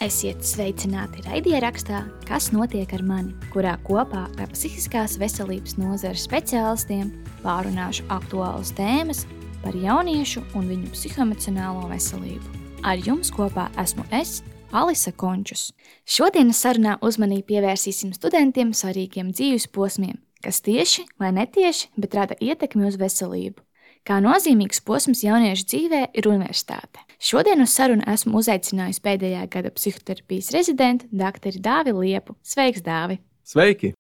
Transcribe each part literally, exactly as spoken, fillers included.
Esiet sveicināti raidierakstā Kas notiek ar mani, kurā kopā ar psihiskās veselības nozares speciālistiem pārunāšu aktuālas tēmas par jauniešu un viņu psihoemocionālo veselību. Ar jums kopā esmu es, Alisa Končus. Šodienas sarunā uzmanību pievērsīsim studentiem svarīgiem dzīves posmiem, kas tieši vai netieši, bet rada ietekmi uz veselību. Kā nozīmīgs posms jauniešu dzīvē ir universitāte. Šodien uz sarunu esmu uzaicinājusi pēdējā gada psihoterapijas rezidentu doktoru Dāvi Liepu. Sveiks, Dāvi! Sveiki!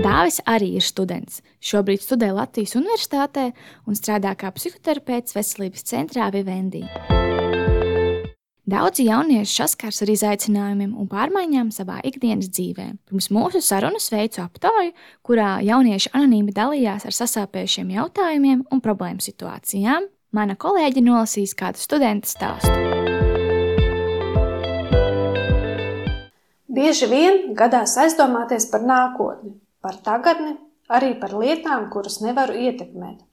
Dāvis arī ir students. Šobrīd studē Latvijas universitātē un strādā kā psihoterapeits veselības centrā Vivendi. Daudzi jaunieši saskars ar izaicinājumiem un pārmaiņām savā ikdienas dzīvē. Pirms mūsu sarunas veicu aptauju, kurā jaunieši anonīmi dalījās ar sasāpējušiem jautājumiem un problēmu situācijām. Mana kolēģe nolasīs kādu studenta stāstu. Bieži vien gadās aizdomāties par nākotni, par tagadni, arī par lietām, kuras nevaru ietekmēt.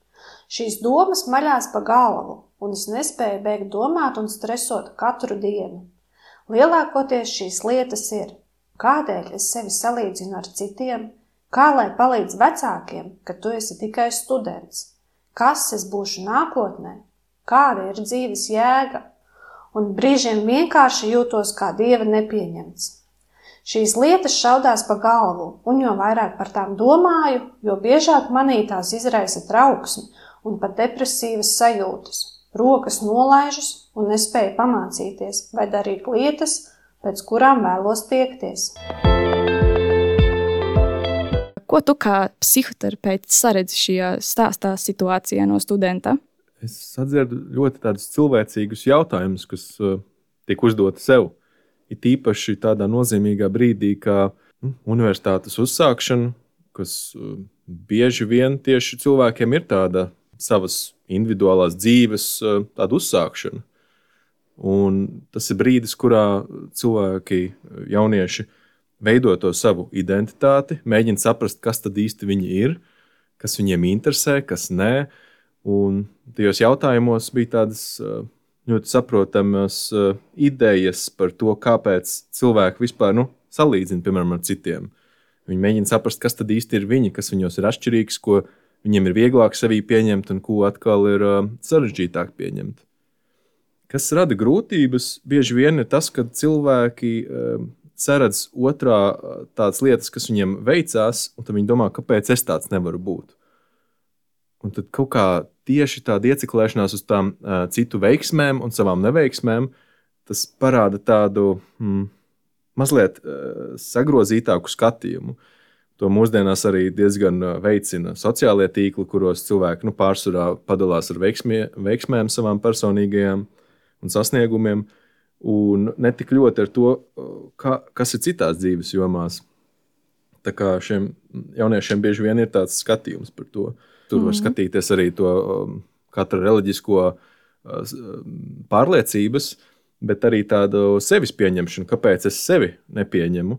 Šīs domas maļās pa galvu, un es nespēju beigt domāt un stresot katru dienu. Lielākoties šīs lietas ir, kādēļ es sevi salīdzinu ar citiem, kā lai palīdz vecākiem, ka tu esi tikai students, kas es būšu nākotnē, kāda ir dzīves jēga, un brīžiem vienkārši jūtos kā dieva nepieņemts. Šīs lietas šaudās pa galvu, un jo vairāk par tām domāju, jo biežāk manī tās izraisa trauksmi un pat depresīvas sajūtas. Rokas nolaižas un nespēju pamācīties vai darīt lietas, pēc kurām vēlos tiekties. Ko tu kā psihoterapeits saredzi šajā stāstā situācijā no studenta? Es sadzirdu ļoti tādus cilvēcīgus jautājumus, kas uh, tiek uzdoti sev. Ir tīpaši tādā nozīmīgā brīdī, kā nu, universitātes uzsākšana, kas uh, bieži vien tieši cilvēkiem ir tāda savas individuālās dzīves uh, tāda uzsākšana. Un tas ir brīdis, kurā cilvēki, jaunieši, veido to savu identitāti, mēģina saprast, kas tad īsti viņi ir, kas viņiem interesē, kas nē. Un tajos jautājumos bija tādas ļoti saprotamas idejas par to, kāpēc cilvēki vispār nu, salīdzina, piemēram, ar citiem. Viņi mēģina saprast, kas tad īsti ir viņi, kas viņos ir atšķirīgs, ko viņiem ir vieglāk sevī pieņemt un ko atkal ir sarežģītāk pieņemt. Kas rada grūtības, bieži vien ir tas, ka cilvēki saredz otrā tādas lietas, kas viņiem veicās, un tad viņi domā, kāpēc es tāds nevaru būt. Un tad kaut kā tieši tāda ieciklēšanās uz tām uh, citu veiksmēm un savām neveiksmēm, tas parāda tādu mm, mazliet uh, sagrozītāku skatījumu. To mūsdienās arī diezgan veicina sociālie tīkli, kuros cilvēki nu, pārsvarā padalās ar veiksmie, veiksmēm savām personīgajām un sasniegumiem, un ne tik ļoti ar to, ka, kas ir citās dzīves jomās. Tā kā šiem jauniešiem bieži vien ir tāds skatījums par to. Tur var mm-hmm. skatīties arī to katra reliģisko pārliecības, bet arī tādu sevis pieņemšanu, kāpēc es sevi nepieņemu.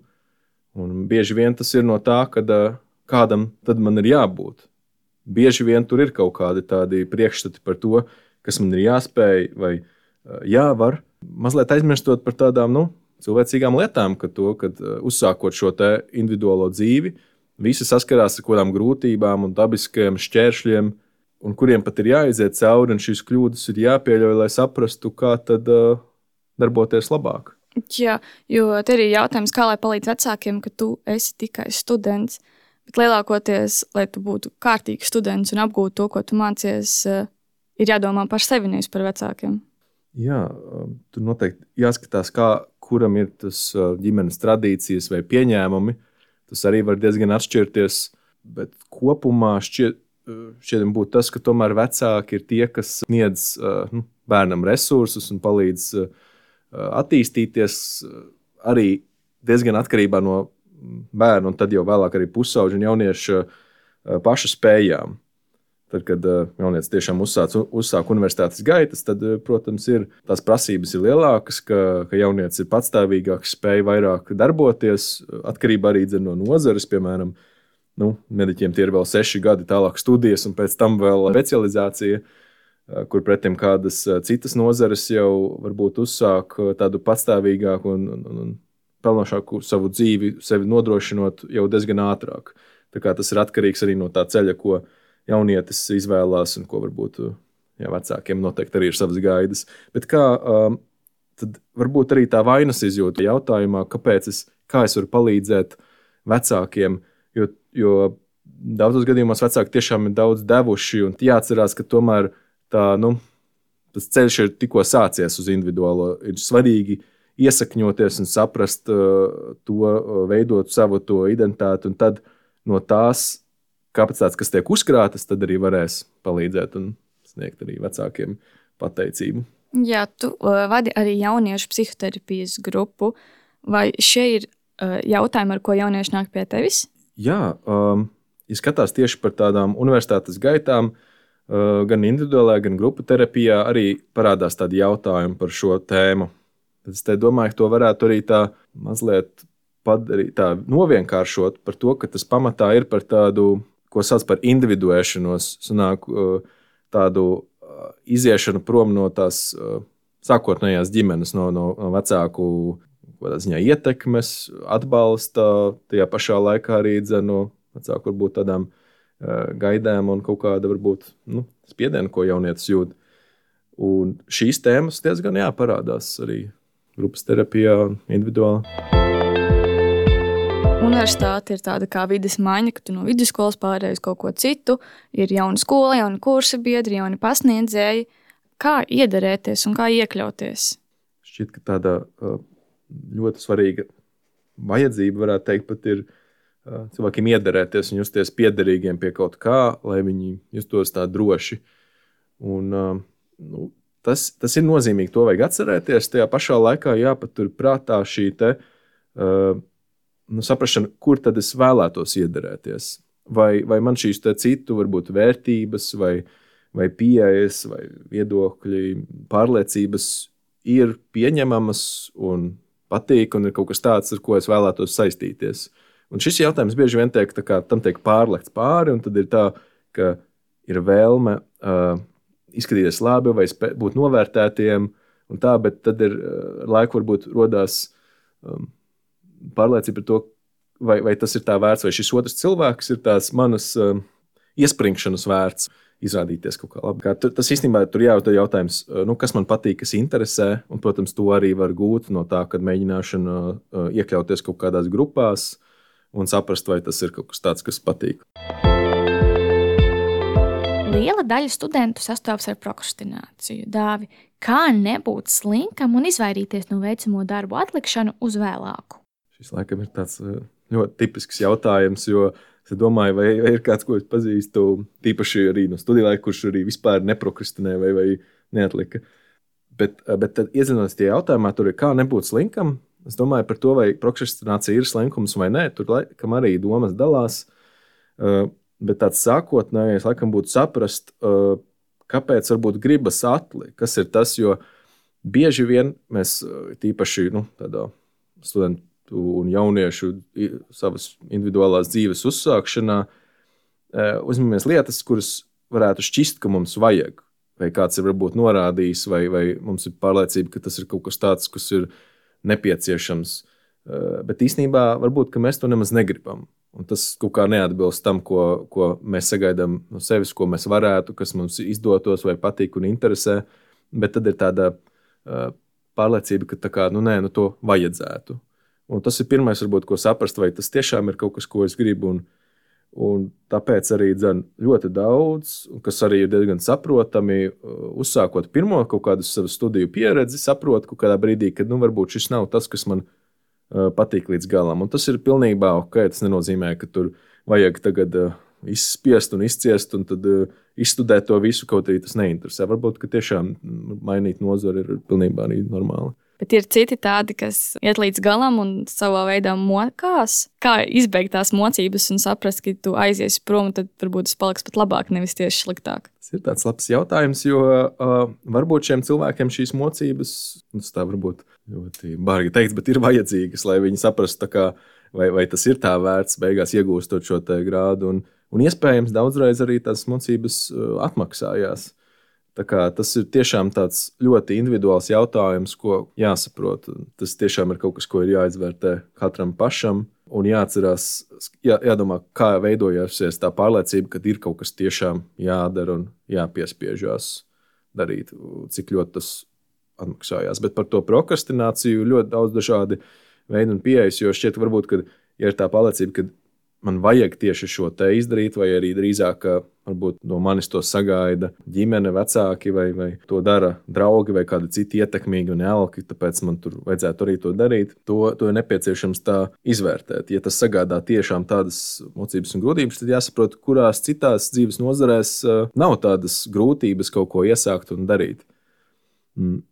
Un bieži vien tas ir no tā, ka kādam tad man ir jābūt. Bieži vien tur ir kaut kādi tādi priekšstati par to, kas man ir jāspēj vai jāvar. Mazliet aizmirstot par tādām nu, cilvēcīgām lietām, ka to, kad uzsākot šo te individuālo dzīvi, visi saskarās ar kādām grūtībām un dabiskajiem šķēršļiem, un kuriem pat ir jāiziet cauri, un šīs kļūdas ir jāpieļauj, lai saprastu, kā tad uh, darboties labāk. Jā, jo te ir jautājums, kā lai palīdz vecākiem, ka tu esi tikai students, bet lielākoties, lai tu būtu kārtīgs students un apgūtu to, ko tu mācies, uh, ir jādomā par sevi, nevis par vecākiem. Jā, tur noteikti jāskatās, kā, kuram ir tas ģimenes tradīcijas vai pieņēmumi. Tas arī var diezgan atšķirties, bet kopumā šķiet, šķiet būtu tas, ka tomēr vecāki ir tie, kas sniedz nu, bērnam resursus un palīdz attīstīties arī diezgan atkarībā no bērna un tad jau vēlāk arī pusauģu un jauniešu pašu spējām. Tad, kad jaunietis tiešām uzsāc, uzsāk universitātes gaitas, tad, protams, ir, tās prasības ir lielākas, ka, ka jaunietis ir patstāvīgāks, spēj vairāk darboties, atkarībā arī no nozares, piemēram, nu, mediķiem tie ir vēl seši gadi tālāk studijas un pēc tam vēl specializācija. kur pretim kādas citas nozares jau varbūt uzsāk tādu patstāvīgāku un, un, un pelnošāku savu dzīvi, sevi nodrošinot jau diezgan ātrāk. Tā kā tas ir atkarīgs arī no tā ceļa, ko jaunietis izvēlās un ko varbūt jā, vecākiem noteikti arī ir savas gaidas. Bet kā tad varbūt arī tā vainas izjūta jautājumā, kāpēc es, kā es varu palīdzēt vecākiem, jo, jo daudzos gadījumos vecāki tiešām ir daudz devuši un jāatcerās, ka tomēr tā, nu, tas ceļš ir tikko sācies uz individuālo. Ir svarīgi iesakņoties un saprast uh, to, uh, veidot savu to identitāti un tad no tās kapacitātes, kas tiek uzkrātas, tad arī varēs palīdzēt un sniegt arī vecākiem pateicību. Jā, tu uh, vadi arī jauniešu psihoterapijas grupu. Vai šie ir uh, jautājumi, ar ko jaunieši nāk pie tevis? Jā, um, ja skatās tieši par tādām universitātes gaitām, uh, gan individuālajā, gan grupu terapijā arī parādās tādi jautājumi par šo tēmu. Tad es te domāju, ka to varētu arī tā mazliet padarīt, tā novienkāršot par to, ka tas pamatā ir par tādu, ko sauc par individuēšanos, sanāk uh, tādu iziešanu prom no tās uh, sākotnējās ģimenes, no, no, no vecāku ziņā, ietekmes, atbalsta, tajā pašā laikā arī no vecāku varbūt tādām uh, gaidām un kaut kāda varbūt nu, spiediena, ko jaunietis jūt. Un šīs tēmas diezgan jā, parādās arī grupas terapijā, individuāli. Universitāte ir tāda kā vides maiņa, ka tu no vidusskolas pārēji uz kaut ko citu. Ir jauna skola, jauni kursa biedri, jauni pasniedzēji. Kā iederēties un kā iekļauties? Šķiet, ka tāda ļoti svarīga vajadzība, varētu teikt, pat ir cilvēkiem iederēties un justies piederīgiem pie kaut kā, lai viņi justos tā droši. Un, nu, tas, tas ir nozīmīgi, to vajag atcerēties. Tajā pašā laikā jāpatur prātā šī te nu, saprašana, kur tad es vēlētos iederēties. Vai, vai man šīs te citu varbūt vērtības, vai, vai pieejas, vai viedokļi, pārliecības ir pieņemamas un patīk, un ir kaut kas tāds, ar ko es vēlētos saistīties. Un šis jautājums bieži vien tiek, tā kā, tam tiek pārlekts pāri, un tad ir tā, ka ir vēlme uh, izskatīties labi vai spē, būt novērtētiem, un tā, bet tad ir uh, laiku varbūt rodās um, pārliecība par to, vai, vai tas ir tā vērts, vai šis otrs cilvēks ir tās manas uh, iespringšanas vērts, izrādīties kaut kā labi. Kā, tu, tas īstenībā tur jāuzdod jautājums, nu, kas man patīk, kas interesē, un, protams, to arī var gūt no tā, kad mēģināšana uh, iekļauties kaut kādās grupās un saprast, vai tas ir kaut kas tāds, kas patīk. Liela daļa studentu sastopas ar prokrastināciju. Dāvi, kā nebūt slinkam un izvairīties no veicamo darbu atlikšanu uz vēlāku? Šis laikam ir tāds ļoti tipisks jautājums, jo es domāju, vai, vai ir kāds, ko es pazīstu, tīpaši arī no studiju laika, kurš arī vispār neprokrastinē vai, vai neatlika. Bet, bet tad iezinoties tie jautājumā, tur ir kā nebūt slinkam. Es domāju par to, vai prokrastinācija ir slinkums vai nē. Tur laikam arī domas dalās. Bet tāds sākotnējais laikam būtu saprast, kāpēc varbūt gribas atlikt, kas ir tas, jo bieži vien mēs tīpaši nu, tādā studentu un jauniešu savas individuālās dzīves uzsākšanā uzņemamies lietas, kuras varētu šķist, ka mums vajag. Vai kāds ir varbūt norādījis, vai, vai mums ir pārliecība, ka tas ir kaut kas tāds, kas ir nepieciešams. Bet īstenībā varbūt, ka mēs to nemaz negribam. Un tas kaut kā neatbilst tam, ko, ko mēs sagaidām no sevis, ko mēs varētu, kas mums izdotos vai patīk un interesē. Bet tad ir tāda pārliecība, ka tā kā, nu nē, nu to vajadzētu. Un tas ir pirmais, varbūt, ko saprast, vai tas tiešām ir kaut kas, ko es gribu. Un, un tāpēc arī dzen ļoti daudz, kas arī ir diezgan saprotami, uzsākot pirmo kaut kādu savu studiju pieredzi, saprot kaut kādā brīdī, ka nu, varbūt šis nav tas, kas man uh, patīk līdz galam. Un tas ir pilnībā ok, tas nenozīmē, ka tur vajag tagad uh, izspiest un izciest un tad uh, izstudēt to visu, kaut arī tas neinteresē. Varbūt, ka tiešām mainīt nozari ir pilnībā arī normāli. Bet ir citi tādi, kas iet līdz galam un savā veidā mokās. Kā izbeigt tās mocības un saprast, ka tu aiziesi prom, tad varbūt tas paliks pat labāk, nevis tieši sliktāk? Tas ir tāds labs jautājums, jo uh, varbūt šiem cilvēkiem šīs mocības, tas tā varbūt ļoti bargi teikts, bet ir vajadzīgas, lai viņi saprastu, tā kā, vai, vai tas ir tā vērts beigās iegūstot šo te grādu. Un, un iespējams daudzreiz arī tās mocības uh, atmaksājās. Tā kā tas ir tiešām tāds ļoti individuāls jautājums, ko jāsaprot. Tas tiešām ir kaut kas, ko ir jāizvērtē katram pašam un jāatcerās, jā, jādomā, kā veidojusies tā pārliecība, ka ir kaut kas tiešām jādara un jāpiespiežās darīt, cik ļoti tas atmaksājās. Bet par to prokrastināciju ļoti daudz dažādi veidi un pieejas, jo šķiet varbūt, ka ja ir tā pārliecība, ka man vajag tieši šo te izdarīt, vai arī drīzāk, ka varbūt no manis to sagaida ģimene, vecāki, vai, vai to dara draugi, vai kādi citi ietekmīgi un elki, tāpēc man tur vajadzētu arī to darīt. To, to ir nepieciešams tā izvērtēt. Ja tas sagādā tiešām tādas mocības un grūtības, tad jāsaprot, kurās citās dzīves nozarēs nav tādas grūtības kaut ko iesākt un darīt.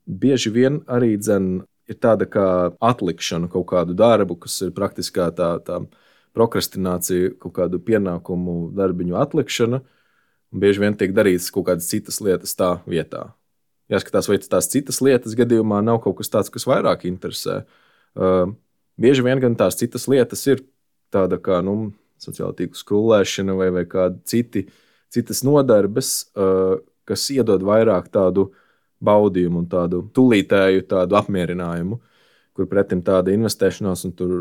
Bieži vien arī dzen ir tāda kā atlikšana kaut kādu darbu, kas ir praktiskā tā, tā prokrastinācija, kaut kādu pienākumu darbiņu atlikšana, un bieži vien tiek darītas kaut kādas citas lietas tā vietā. Jāskatās, vai tās citas lietas gadījumā nav kaut kas tāds, kas vairāk interesē. Uh, bieži vien gan tās citas lietas ir tāda kā, nu, sociāla tīkla skrulēšana vai, vai kādi citi, citas nodarbes, uh, kas iedod vairāk tādu baudījumu un tādu tulītēju tādu apmierinājumu, kur pretim tāda investēšanās un tur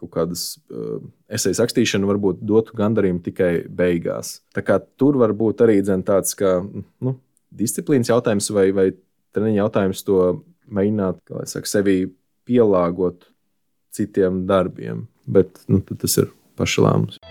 kaut kādas uh, esejas rakstīšana varbūt dotu gandarījumu tikai beigās. Tā kā tur var būt arī dzen tāds kā, nu, disciplīnas jautājums vai, vai treniņa jautājums to mēģināt, kā lai saka, sevi pielāgot citiem darbiem. Bet, nu, tas ir paša lēmums.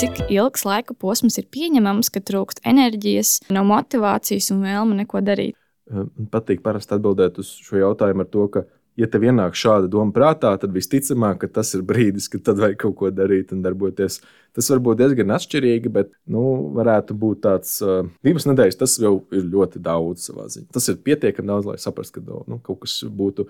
Cik ilgs laika posms ir pieņemams, ka trūkst enerģijas, nav motivācijas un vēlme neko darīt? Man patīk parasti atbildēt uz šo jautājumu ar to, ka ja tev ienāk šāda doma prātā, tad visticamāk, ka tas ir brīdis, kad tad vajag kaut ko darīt un darboties. Tas var būt diezgan atšķirīgi, bet, nu, varētu būt tāds uh, divas nedēļas, tas jau ir ļoti daudz savā ziņā. Tas ir pietiekami daudz, lai saprastu, ka nu, kaut kas būtu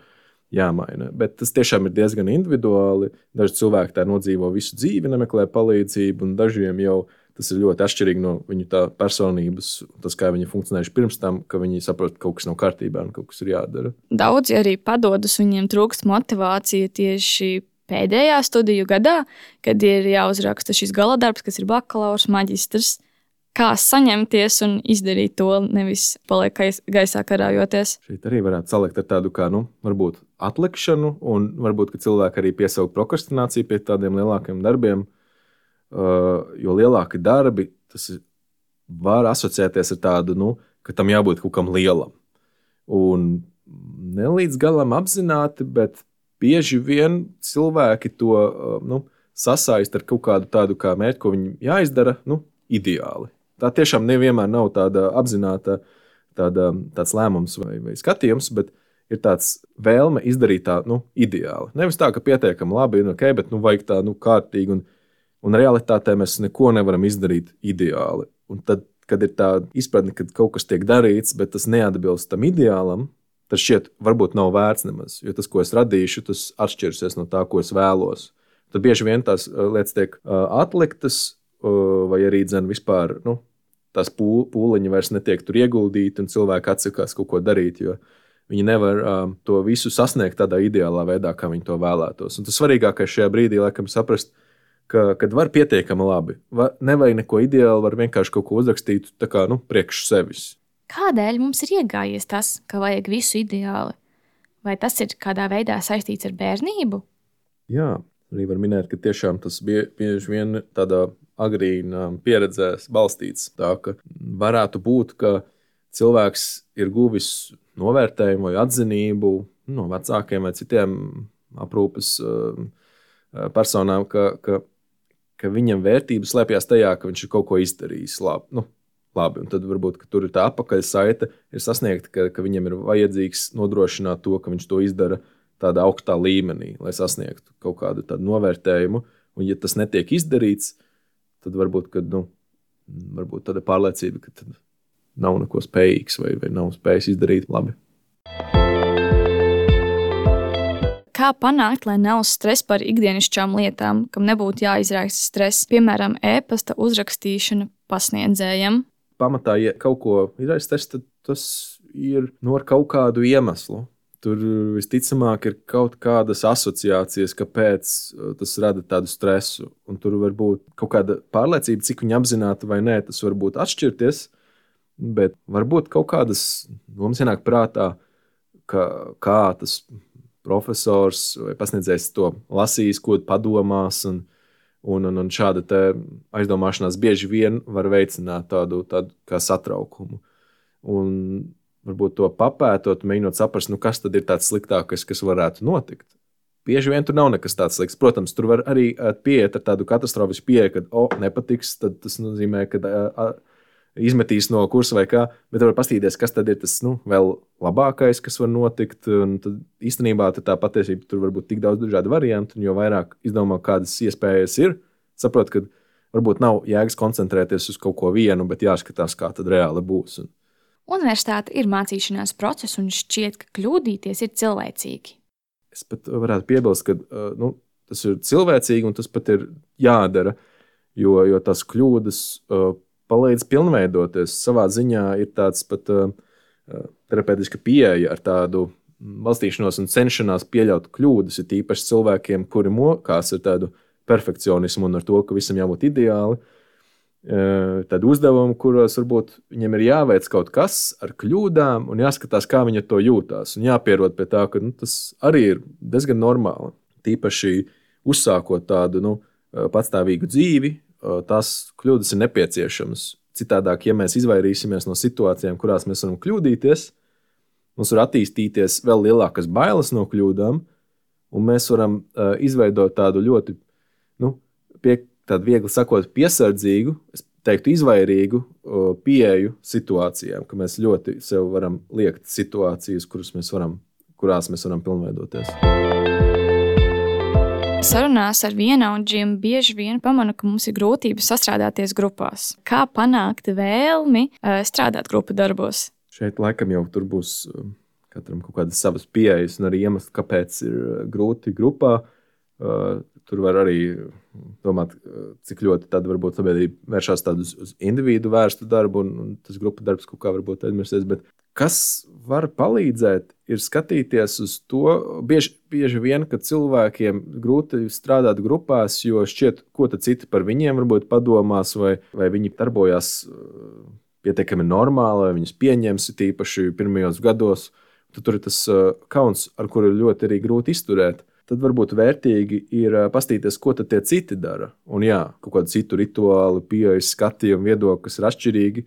jāmaina. Bet tas tiešām ir diezgan individuāli. Daži cilvēki tā nodzīvo visu dzīvi, nemeklē palīdzību, un dažiem jau tas ir ļoti atšķirīgi no viņu tā personības, tas, kā viņi funkcionējuši pirms tam, ka viņi saprot, ka kaut kas nav kārtībā un kaut kas ir jādara. Daudzi arī padodas, viņiem trūkst motivācija tieši pēdējā studiju gadā, kad ir jāuzraksta šis galadarbs, kas ir bakalaurs, maģistrs. Kā saņemties un izdarīt to, nevis paliek gaisā karājoties? Šeit arī varētu salikt ar tādu kā, nu, varbūt atlikšanu, un varbūt, ka cilvēki arī piesaukt prokrastināciju pie tādiem lielākiem darbiem. Uh, jo lielāki darbi, tas var asociēties ar tādu, nu, ka tam jābūt kaut kam lielam. Un ne līdz galam apzināti, bet bieži vien cilvēki to uh, nu, sasaist ar kaut kādu tādu kā mērķi, ko viņi jāizdara, nu, ideāli. Tā tiešām nevienmēr nav tāda apzināta tāda, tāds lēmums vai, vai skatījums, bet ir tāds vēlme izdarīt tā, nu, ideāli. Nevis tā, ka pietiekami labi, nu, ok, bet, nu, vajag tā, nu, kārtīgi un Un realitātē mēs neko nevaram izdarīt ideāli. Un tad, kad ir tā izpratne, ka kaut kas tiek darīts, bet tas neatbilst tam ideālam, tad šķiet, varbūt nav vērts nemaz. Jo tas, ko es radīšu, tas atšķirsies no tā, ko es vēlos. Tad bieži vien tās lietas tiek atliktas, vai arī dzen vispār, nu, tās pūliņi vairs netiek tur ieguldīti, un cilvēki atsakās kaut ko darīt, jo viņi nevar um, to visu sasniegt tādā ideālā veidā, kā viņi to vēlētos. Un tas svarīgākais šajā brīdī, laikam, saprast, Ka, kad var pietiekami labi. Va, nevajag neko ideāli, var vienkārši kaut ko uzrakstīt tā kā, nu, priekš sevis. Kādēļ mums ir iegājies tas, ka vajag visu ideāli? Vai tas ir kādā veidā saistīts ar bērnību? Jā, arī var minēt, ka tiešām tas bie, bieži vien tādā agrīnā pieredzē balstīts. Tā, ka varētu būt, ka cilvēks ir guvis novērtējumu vai atzinību no vecākiem vai citiem aprūpes personām, ka, ka ka viņam vērtības slēpjas tajā, ka viņš ir kaut ko izdarījis labi. Nu, labi. Un tad varbūt, ka tur ir tā apakaļsaite, ir sasniegta, ka, ka viņam ir vajadzīgs nodrošināt to, ka viņš to izdara tādā augstā līmenī, lai sasniegtu kaut kādu tādu novērtējumu. Un ja tas netiek izdarīts, tad varbūt, ka, nu, varbūt tāda pārliecība, ka tad nav neko spējīgs vai, vai nav spējis izdarīt labi. Kā panākt, lai nav stress par ikdienišķām lietām, kam nebūtu jāizraisa stress, piemēram, e-pasta uzrakstīšana pasniedzējam? Pamatā, ja kaut ko izraisa stress, tad tas ir no ar kaut kādu iemeslu. tur visticamāk ir kaut kādas asociācijas, kāpēc tas rada tādu stresu. Un tur var būt kaut kāda pārliecība, cik viņa apzināta vai nē, tas var būt atšķirties, bet varbūt kaut kādas domas ienāk prātā, ka kā tas profesors vai pasniedzējs to lasīs, ko padomās, un, un, un, un šāda te aizdomāšanās bieži vien var veicināt tādu, tādu kā satraukumu. Un varbūt to papētot, mēģinot saprast, nu kas tad ir tāds sliktākais, kas varētu notikt. Bieži vien tur nav nekas tāds slikts. Protams, tur var arī pieiet ar tādu katastrofisku pieeju, kad, o, nepatiks, tad tas nozīmē, ka a, izmetīs no kursa vai kā, bet var pastīties, kas tad ir tas, nu, vēl labākais, kas var notikt, un tad īstenībā tad tā patiesība tur var būt tik daudz dažādu variantu, un jo vairāk izdomā, kādas iespējas ir, saprot, ka varbūt nav jēgas koncentrēties uz kaut ko vienu, bet jāskatās, kā tad reāli būs. Un Universitāte ir mācīšanās process, un šķiet, ka kļūdīties ir cilvēcīgi. Es pat varētu piebilst, ka nu, tas ir cilvēcīgi un tas pat ir jādara, jo, jo tās kļūdas uh, palīdz pilnveidoties. Savā ziņā ir tāds pat uh, terapeitiska pieeja ar tādu balstīšanos un cenšanās pieļaut kļūdas, ir tīpaši cilvēkiem, kuri mokās ar tādu perfekcionismu un ar to, ka visam jābūt ideāli. Tādu uzdevumu, kuros varbūt viņiem ir jāveic kaut kas ar kļūdām un jāskatās, kā viņi to jūtās. Un jāpierod pie tā, ka nu, tas arī ir diezgan normāli. Tīpaši uzsākot tādu nu, patstāvīgu dzīvi, tās kļūdas ir nepieciešamas. Citādāk, ja mēs izvairīsimies no situācijām, kurās mēs varam kļūdīties, mums var attīstīties vēl lielākas bailes no kļūdām, un mēs varam izveidot tādu ļoti, nu, pie tādu viegli sakot, piesardzīgu, es teiktu izvairīgu pieeju situācijām, ka mēs ļoti sev varam liekt situācijas, kuras mēs varam, kurās mēs varam pilnveidoties. Sarunās ar vienaudžiem bieži vien pamanu, ka mums ir grūtības sastrādāties grupās. Kā panākt vēlmi strādāt grupu darbos? Šeit laikam jau tur būs katram kaut kādas savas pieejas un arī iemesli, kāpēc ir grūti grupā. Tur var arī domāt, cik ļoti tad varbūt sabiedrība vēršās tādu uz individu vērstu darbu un, un tas grupu darbs kaut kā varbūt aizmirsties, bet kas var palīdzēt ir skatīties uz to, bieži, bieži vien, ka cilvēkiem grūti strādāt grupās, jo šķiet, ko tad citi par viņiem varbūt padomās vai, vai viņi darbojās pietiekami normāli, vai viņus pieņems tīpaši pirmajos gados, tad tur ir tas kauns, ar kuru ļoti arī grūti izturēt. Tad varbūt vērtīgi ir pastīties, ko tad tie citi dara. Un jā, kaut kādu citu rituālu, pieejas, skatījumu, viedokli, kas ir atšķirīgi.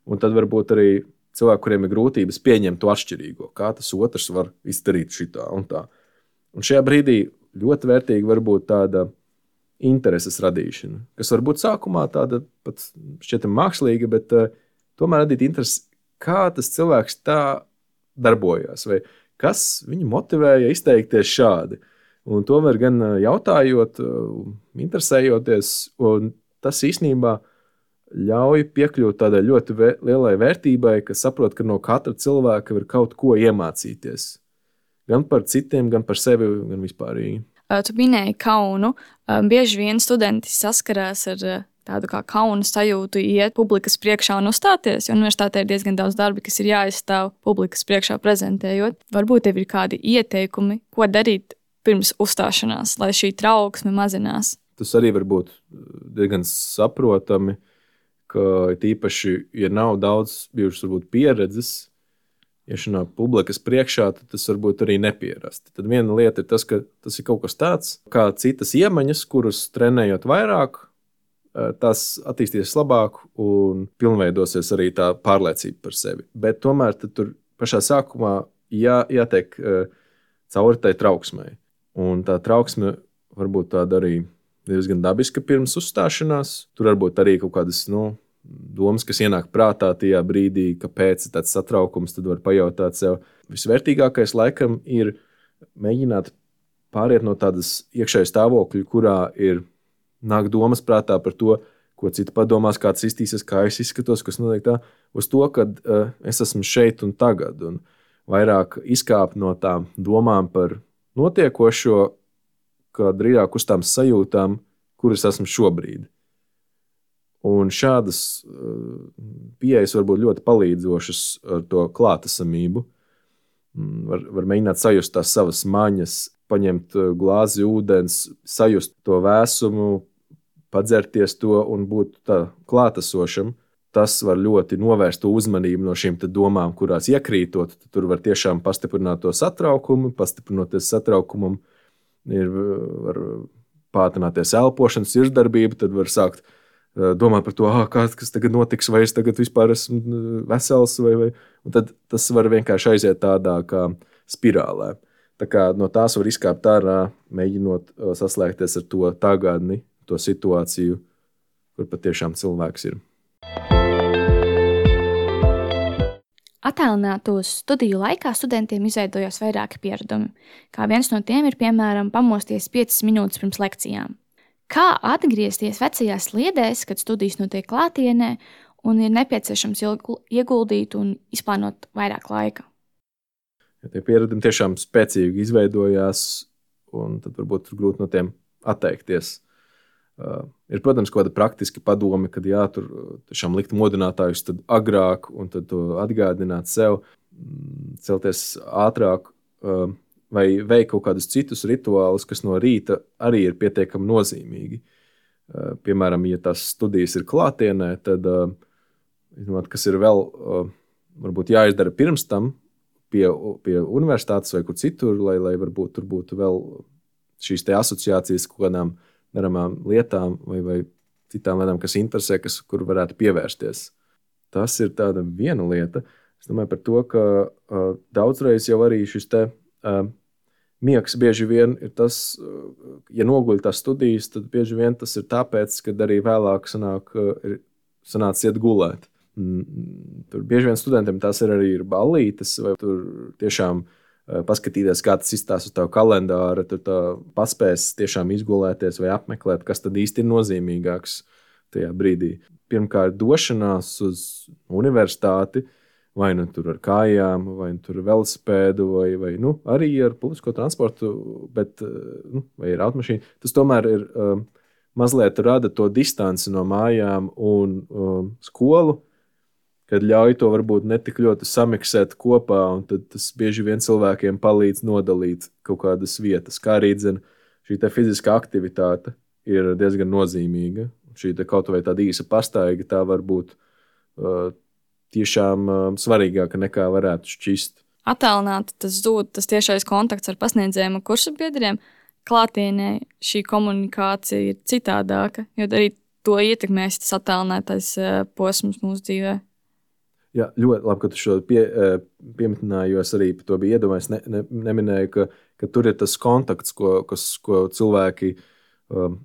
Un tad varbūt arī cilvēki, kuriem ir grūtības pieņemt to atšķirīgo. Kā tas otrs var izdarīt šitā un tā. Un šajā brīdī ļoti vērtīgi var būt tāda intereses radīšana, kas var būt sākumā tāda pat šķietam mākslīga, bet uh, tomēr radīt interesi, kā tas cilvēks tā darbojās. Vai kas viņu motivēja izteikties šādi. Un tomēr gan jautājot, interesējoties, un tas īstenībā ļauj piekļūt tādai ļoti vē, lielai vērtībai, ka saprot, ka no katra cilvēka var kaut ko iemācīties. Gan par citiem, gan par sevi, gan vispārīgi. Tu minēji kaunu. Bieži vien studenti saskarās ar tādu kā kauna sajūtu iet publikas priekšā un uzstāties, jo universitātē ir diezgan daudz darbi, kas ir jāizstāv publikas priekšā prezentējot. Varbūt tev ir kādi ieteikumi, ko darīt pirms uzstāšanās, lai šī trauksme mazinās. Tas arī var būt diezgan saprotami, ka tīpaši, ja nav daudz bijušas varbūt pieredzes, iešanā publikas priekšā, tad tas varbūt arī nepierasti. Tad viena lieta ir tas, ka tas ir kaut kas tāds, kā citas iemaņas, kuras trenējot vairāk, tas attīstīsies labāk un pilnveidosies arī tā pārliecība par sevi. Bet tomēr tad tur pašā sākumā jā, jātiek cauri tai trauksmei. Un tā trauksme varbūt tāda arī diezgan dabiska pirms uzstāšanās. Tur varbūt arī kaut kādas nu, domas, kas ienāk prātā tajā brīdī, kāpēc ir tāds satraukums, tad var pajautāt sev. Visvērtīgākais laikam ir mēģināt pāriet no tādas iekšējas stāvokļa, kurā ir nāk domas prātā par to, ko citi padomās, kā tas iztīsies, kā es izskatos, kas notiek tā, uz to, ka uh, es esmu šeit un tagad. Un vairāk izkāpt no tām domām par notiekošo, kā drīzāk uz tām sajūtām, kuras esmu šobrīd. Un šādas uh, pieejas var būt ļoti palīdzošas ar to klātesamību. var, var mēģināt sajust tās savas maņas, paņemt glāzi ūdens, sajust to vēsumu, padzerties to un būt tā klātesošam. Tas var ļoti novērst uzmanību no šīm domām, kurās iekrītot. Tur var tiešām pastiprināt to satraukumu, pastiprinoties satraukumam, ir, var pātrināties elpošanas, sirdsdarbība, tad var sākt domāt par to, ah, kas tagad notiks, vai es tagad vispār esmu vesels, vai, vai. Un tad tas var vienkārši aiziet tādā kā spirālē. Tā kā no tās var izkāpt ārā, mēģinot saslēgties ar to tagadni, to situāciju, kur patiešām cilvēks ir. Attālinātos studiju laikā studentiem izveidojās vairāki pieredumi, kā viens no tiem ir, piemēram, pamosties piecas minūtes pirms lekcijām. Kā atgriezties vecajās sliedēs, kad studijas notiek klātienē un ir nepieciešams ieguldīt un izplānot vairāk laika? Ja tie pieredumi tiešām spēcīgi izveidojās, un tad varbūt ir grūti no tiem atteikties. Uh, ir, protams, kaut kāda praktiska padome, kad jā, tur tiešām likt modinātājus tad agrāk un tad to atgādināt sev, celties ātrāk uh, vai veikt kaut kādus citus rituālus, kas no rīta arī ir pietiekami nozīmīgi. Uh, piemēram, ja tās studijas ir klātienē, tad, uh, zinot, kas ir vēl uh, varbūt jāizdara pirms tam pie, pie universitātes vai kur citur, lai, lai varbūt tur būtu vēl šīs te asociācijas kaut kādām darāmām lietām vai, vai citām lietām, kas interesē, kas, kur varētu pievērsties. Tas ir tāda viena lieta. Es domāju par to, ka uh, daudzreiz jau arī šis te uh, miegs bieži vien ir tas, uh, ja noguļ tās studijas, tad bieži vien tas ir tāpēc, kad arī vēlāk sanāk, uh, ir sanāc iet gulēt. Mm, tur bieži vien studentiem tās ir arī ir ballītes, vai tur tiešām paskatīties, kā tas izstāsta uz tavu kalendāru, tur tā paspēs tiešām izgulēties vai apmeklēt, kas tad īsti ir nozīmīgāks tajā brīdī. Pirmkārt, došanās uz universitāti, vai nu tur ar kājām, vai nu tur ar velosipēdu, vai, vai nu, arī ar publisko transportu, bet, nu, vai ar automašīnu. Tas tomēr ir um, mazliet rada to distanci no mājām un um, skolu, kad ļauj to varbūt netik ļoti samiksēt kopā, un tad tas bieži vien cilvēkiem palīdz nodalīt kaut kādas vietas. Kā arī dzen, šī te fiziskā aktivitāte ir diezgan nozīmīga. Šī te kaut vai tāda īsa pastaiga, tā var būt uh, tiešām uh, svarīgāka nekā varētu šķist. Attālināti tas zūd, tas tiešais kontakts ar pasniedzējiem un kursabiedriem. Klātienē šī komunikācija ir citādāka, jo arī to ietekmēs tas attālinātais uh, posms mūsu dzīvē. Jā, ļoti labi, ka tu šo pie, pieminēji, jo es arī par to biju iedomājies, ne, ne, neminēju, ka, ka tur ir tas kontakts, ko, kas, ko cilvēki um,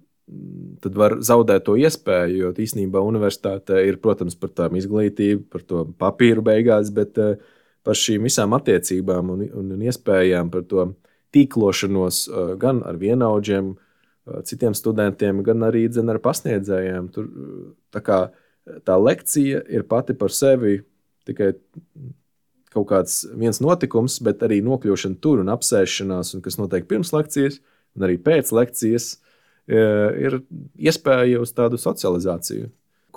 tad var zaudēt to iespēju, jo īstenībā universitāte ir, protams, par tām izglītību, par to papīru beigās, bet uh, par šīm visām attiecībām un, un, un iespējām par to tīklošanos uh, gan ar vienaudžiem, uh, citiem studentiem, gan arī dzen ar pasniedzējiem. Tur, tā kā tā lekcija ir pati par sevi tikai kaut kāds viens notikums, bet arī nokļūšana tur un apsēšanās, un kas notiek pirms lekcijas, un arī pēc lekcijas, ir iespēja uz tādu socializāciju,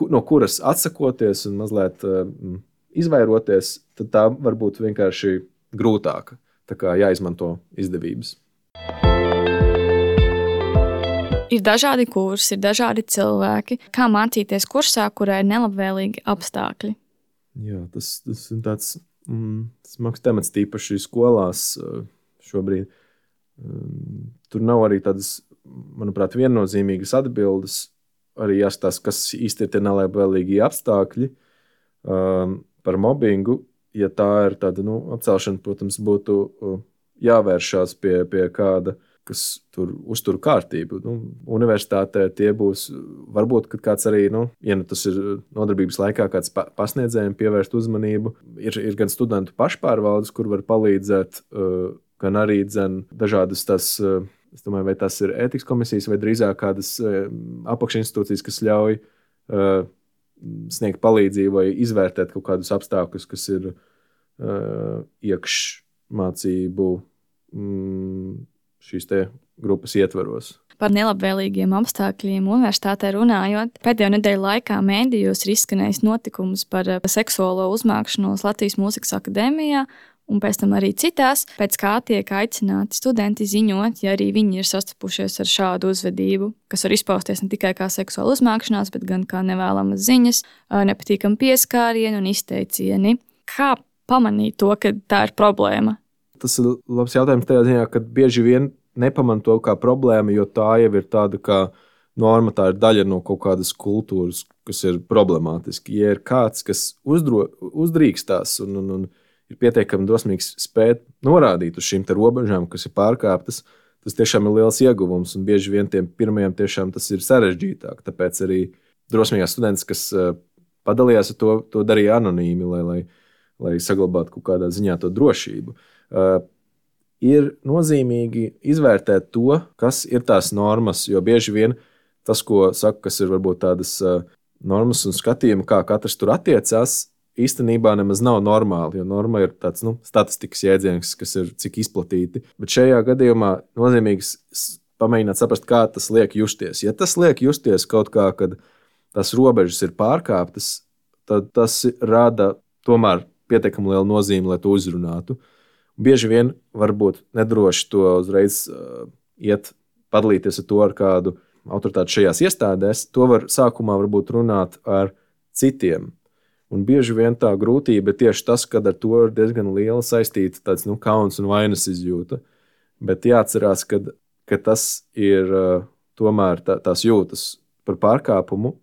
no kuras atsakoties un mazliet izvairoties, tad tā var būt vienkārši grūtāka. Tā kā jāizmanto izdevības. Ir dažādi kursi, ir dažādi cilvēki. Kā mācīties kursā, kurā ir nelabvēlīgi apstākļi? Jā, tas, tas ir tāds mm, smags temats, tīpaši skolās šobrīd. Tur nav arī tādas, manuprāt, viennozīmīgas atbildes. Arī jāskatās, kas īsti ir tie nelabvēlīgi apstākļi um, par mobbingu. Ja tā ir tāda nu, apcelšana, protams, būtu uh, jāvēršās pie, pie kāda, kas tur uztur kārtību. Nu, universitātē tie būs, varbūt, kad kāds arī, nu, ja nu tas ir nodarbības laikā, kāds pasniedzējiem pievērst uzmanību, ir, ir gan studentu pašpārvaldes, kur var palīdzēt, uh, gan arī dzen dažādas tas, uh, es domāju, vai tas ir ētikas komisijas, vai drīzāk kādas uh, apakšinstitūcijas, kas ļauj uh, sniegt palīdzību vai izvērtēt kaut kādus apstākļus, kas ir uh, iekšmācību mm, šīs te grupas ietvaros. Par nelabvēlīgiem apstākļiem universitātē runājot, pēdējo nedēļu laikā mēdījos ir izskanējis notikums par seksuālo uzmākšanos Latvijas Mūzikas akadēmijā, un pēc tam arī citās, pēc kā tiek aicināti studenti ziņot, ja arī viņi ir sastapušies ar šādu uzvedību, kas var izpausties ne tikai kā seksuāla uzmākšanās, bet gan kā nevēlamas ziņas, nepatīkami pieskārieni un izteicieni. Kā pamanīt to, ka tā ir problēma? Tas ir labs jautājums tajā ziņā, ka bieži vien nepamanīt to kā problēmu, jo tā jau ir tāda kā norma, tā ir daļa no kaut kādas kultūras, kas ir problemātiski. Ja ir kāds, kas uzdro, uzdrīkstās un, un, un ir pietiekami drosmīgs spēt norādīt uz šīm te robežām, kas ir pārkāptas, tas tiešām ir liels ieguvums, un bieži vien tiem pirmajiem tiešām tas ir sarežģītāk. Tāpēc arī drosmīgās students, kas padalījās ar to, to darīja anonīmi, lai, lai, lai saglabātu kaut kādā ziņā to drošību. Uh, ir nozīmīgi izvērtēt to, kas ir tās normas, jo bieži vien tas, ko saka, kas ir varbūt tādas uh, normas un skatījumi, kā katrs tur attiecās, īstenībā nemaz nav normāli, jo norma ir tāds nu, statistikas jēdziens, kas ir cik izplatīti. Bet šajā gadījumā nozīmīgi pamēģināt saprast, kā tas liek justies. Ja tas liek justies kaut kā, kad tās robežas ir pārkāptas, tad tas rada tomēr pietiekami lielu nozīmi, lai to uzrunātu. Bieži vien varbūt nedroši to uzreiz uh, iet padalīties ar to ar kādu autoritāti šajās iestādēs. To var sākumā varbūt runāt ar citiem. Un bieži vien tā grūtība ir tieši tas, ka ar to ir diezgan liela saistīta tāds, nu, kauns un vainas izjūta. Bet jāatcerās, ka, ka tas ir uh, tomēr tā, tās jūtas par pārkāpumu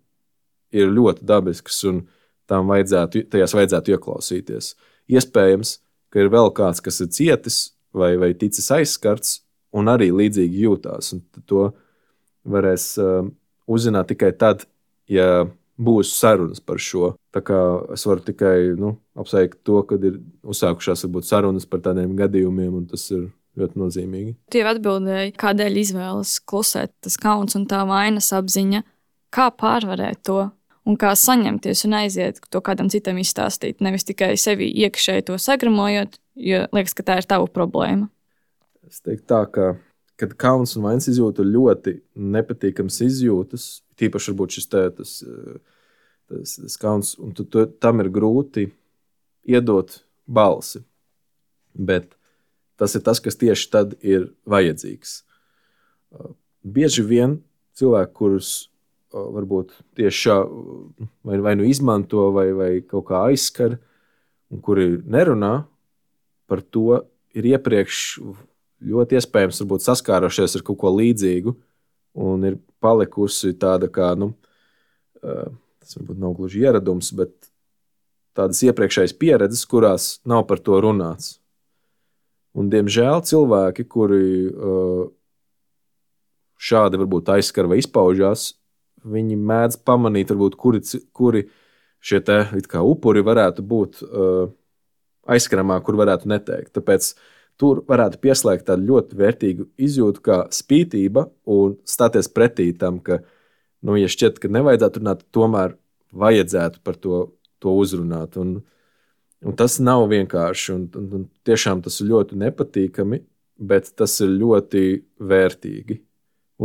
ir ļoti dabiskas un tām vajadzētu, tajās vajadzētu ieklausīties. Iespējams, ka ir vēl kāds, kas ir cietis vai, vai ticis aizskarts un arī līdzīgi jūtās. Un to varēs uh, uzzināt tikai tad, ja būs sarunas par šo. Tā kā es varu tikai nu, apsveikt to, ka ir uzsākušās varbūt sarunas par tādiem gadījumiem, un tas ir ļoti nozīmīgi. Tu jau atbildēji, kādēļ izvēlas klusēt tas kauns un tā vainas apziņa. Kā pārvarēt to un kā saņemties un aiziet to kādam citam izstāstīt, nevis tikai sevi iekšēji to sagramojot, jo liekas, ka tā ir tava problēma. Es teiktu tā, ka kad kauns un vainas izjūta ir ļoti nepatīkams izjūtas, tīpaši varbūt šis te, tas, tas, tas kauns, un tu, tu, tam ir grūti iedot balsi. Bet tas ir tas, kas tieši tad ir vajadzīgs. Bieži vien cilvēki, kurus varbūt tieši šā vai, vai nu izmanto vai, vai kaut kā aizskar, un kuri nerunā par to, ir iepriekš ļoti iespējams varbūt saskārušies ar kaut ko līdzīgu un ir palikusi tāda kā, nu, tas varbūt nav gluži ieradums, bet tādas iepriekšējas pieredzes, kurās nav par to runāts. Un, diemžēl, cilvēki, kuri šādi varbūt aizskar vai izpaužās, viņi mēdz pamanīt, varbūt, kuri, kuri šie te it kā upuri varētu būt aizskaramā, kur varētu neteikt. Tāpēc tur varētu pieslēgt tādu ļoti vērtīgu izjūtu kā spītība un stāties pretī tam, ka, nu, ja šķiet, ka nevajadzētu runāt, tomēr vajadzētu par to, to uzrunāt. Un, un tas nav vienkārši, un, un, un tiešām tas ir ļoti nepatīkami, bet tas ir ļoti vērtīgi.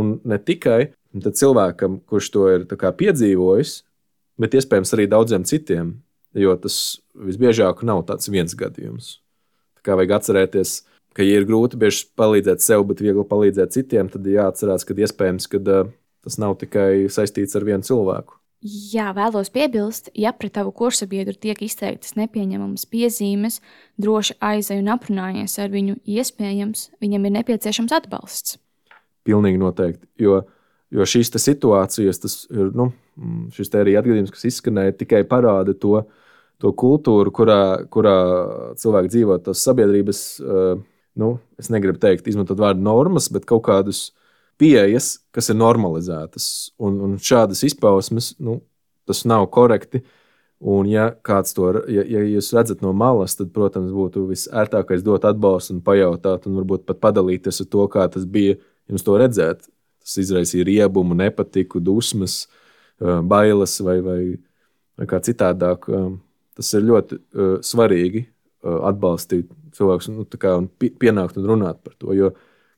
Un ne tikai cilvēkam, kurš to ir tā kā piedzīvojis, bet iespējams arī daudziem citiem, jo tas visbiežāk nav tāds viens gadījums. Tā kā vajag atcerēties, ka, ja ir grūti bieži palīdzēt sev, bet viegli palīdzēt citiem, tad jāatcerās, ka iespējams, ka tas nav tikai saistīts ar vienu cilvēku. Jā, vēlos piebilst, ja pret tavu kursabiedru tiek izteiktas nepieņemamas piezīmes, droši aizej un aprunājies ar viņu, iespējams, viņam ir nepieciešams atbalsts. Pilnīgi noteikti, jo, jo šīs te situācijas, tas ir, nu, šis te arī atgadījums, kas izskanēja, tikai parāda to, to kultūru, kurā, kurā cilvēki dzīvo tās sabiedrības, nu, es negribu teikt, izmantot vārdu normas, bet kaut kādus pieejas, kas ir normalizētas. Un, un šādas izpausmes, nu, tas nav korekti. Un ja kāds to, ja, ja jūs redzat no malas, tad, protams, būtu visērtākais dot atbalstu un pajautāt, un varbūt pat padalīties ar to, kā tas bija jums to redzēt. Tas izraisīja riebumu, nepatiku, dusmas, bailes vai, vai, vai kā citādāk. Tas ir ļoti uh, svarīgi uh, atbalstīt cilvēkus nu, kā, un pienākt un runāt par to, jo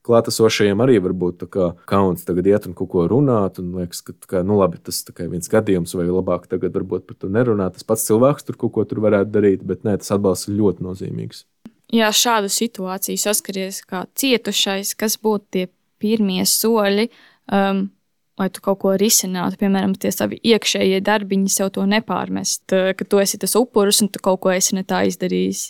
klātesošajiem arī var būt tā kā kauns tagad iet un kaut ko runāt, un liekas, ka kā, nu labi, tas ir viens gadījums, vai labāk tagad varbūt par to nerunāt. Tas pats cilvēks tur kaut ko tur varētu darīt, bet nē, tas atbalsts ir ļoti nozīmīgs. ja šādu situāciju saskaries kā cietušais, kas būtu tie pirmie soļi, um, lai tu kaut ko risinātu, piemēram, tie savi iekšējie darbiņi sev to nepārmest, ka tu esi tas upuris un tu kaut ko esi ne tā izdarījis?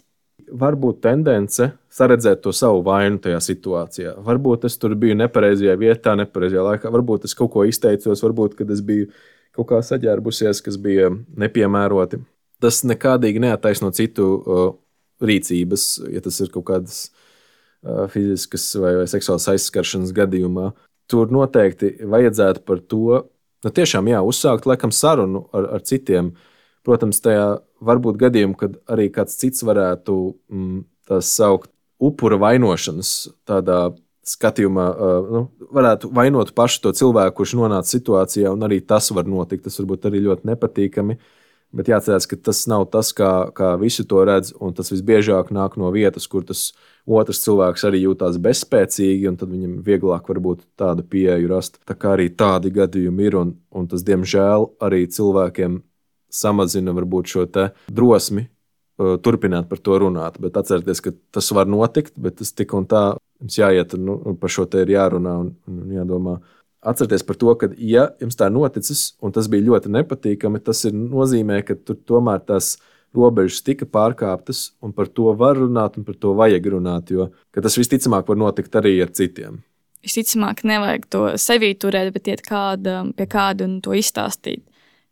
Varbūt tendence saredzēt to savu vainu tajā situācijā. Varbūt es tur biju nepareizajā vietā, nepareizajā laikā, varbūt es kaut ko izteicos, varbūt, kad es biju kaut kā saģērbusies, kas bija nepiemēroti. Tas nekādīgi neattaisno citu uh, rīcības, ja tas ir kaut kādas uh, fiziskas vai, vai seksuālas aizskaršanas gadījumā. Tur noteikti vajadzētu par to, nu tiešām jā, uzsākt laikam sarunu ar, ar citiem. Protams, tajā var būt gadījumi, kad arī kāds cits varētu mm, tās saukt upura vainošanas tādā skatījumā, uh, nu, varētu vainot pašu to cilvēku, kurš nonāca situācijā, un arī tas var notikt. Tas varbūt arī ļoti nepatīkami, bet jāatcerās, ka tas nav tas, kā, kā visi to redz, un tas visbiežāk nāk no vietas, kur tas otrs cilvēks arī jūtās bezspēcīgi, un tad viņam vieglāk varbūt tādu pieeju rast. Tā kā arī tādi gadījumi ir, un, un tas, diemžēl, arī cilvēkiem samazina varbūt šo te drosmi uh, turpināt par to runāt. Bet atcerieties, ka tas var notikt, bet tas tik un tā jums jāiet, nu, par šo te ir jārunā un, un jādomā. Atcerieties par to, ka ja jums tā noticis, un tas bija ļoti nepatīkami, tas ir nozīmē, ka tur tomēr tās robežas tika pārkāptas, un par to var runāt, un par to vajag runāt, jo tas visticamāk var notikt arī ar citiem. Visticamāk nevajag to sevī turēt, bet iet kāda, pie kāda un to izstāstīt.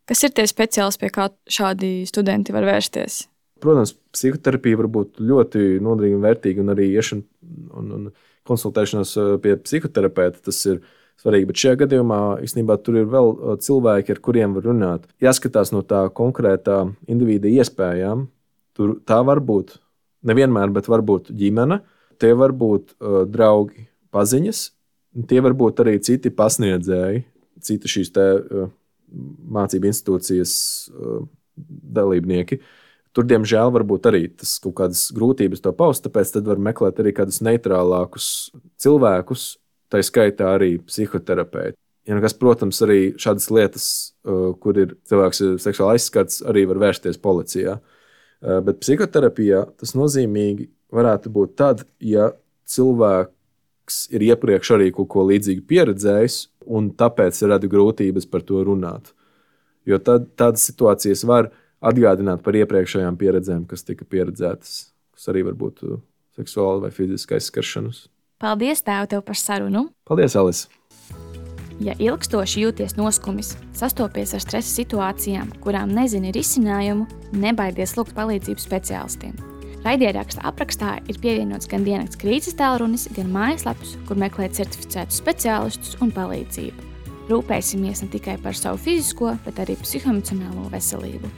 Kas ir tie speciālisti, pie kā šādi studenti var vērsties? Protams, psihoterapija var būt ļoti noderīga un vērtīga, un arī iešana un, un konsultēšanās pie psihoterapeita, tas ir svarīgi, bet šajā gadījumā īstenībā tur ir vēl cilvēki, ar kuriem var runāt. Jāskatās no tā konkrētā individa iespējām. Tur tā var būt nevienmēr, bet var būt ģimene, tie var būt uh, draugi, paziņas, tie var būt arī citi pasniedzēji, citi šīs te uh, mācību institūcijas uh, dalībnieki. Tur, diemžēl, var būt arī tas kaut kādas grūtības to paust, tāpēc tad var meklēt arī kādus neitrālākus cilvēkus, tā skaitā arī psihoterapeiti. Ja nekas, protams, arī šādas lietas, uh, kur ir cilvēks seksuāli aizskarts, arī var vērsties policijā. Uh, bet psihoterapijā tas nozīmīgi varētu būt tad, ja cilvēks ir iepriekš arī kaut ko līdzīgu pieredzējis, un tāpēc rada grūtības par to runāt. Jo tad, tādas situācijas var atgādināt par iepriekšējām pieredzēm, kas tika pieredzētas, kas arī var būt seksuāli vai fiziski aizskaršanas. Paldies, tēv, tev par sarunu! Paldies, Alis! Ja ilgstoši jūties noskumis, sastopies ar stresa situācijām, kurām nezini risinājumu, nebaidies lūgt palīdzību speciālistiem. Raidieraksta aprakstā ir pievienots gan diennakts krīzes tālrunis, gan mājaslapas, kur meklēt certificētus speciālistus un palīdzību. Rūpēsimies ne tikai par savu fizisko, bet arī psihoemocionālo veselību.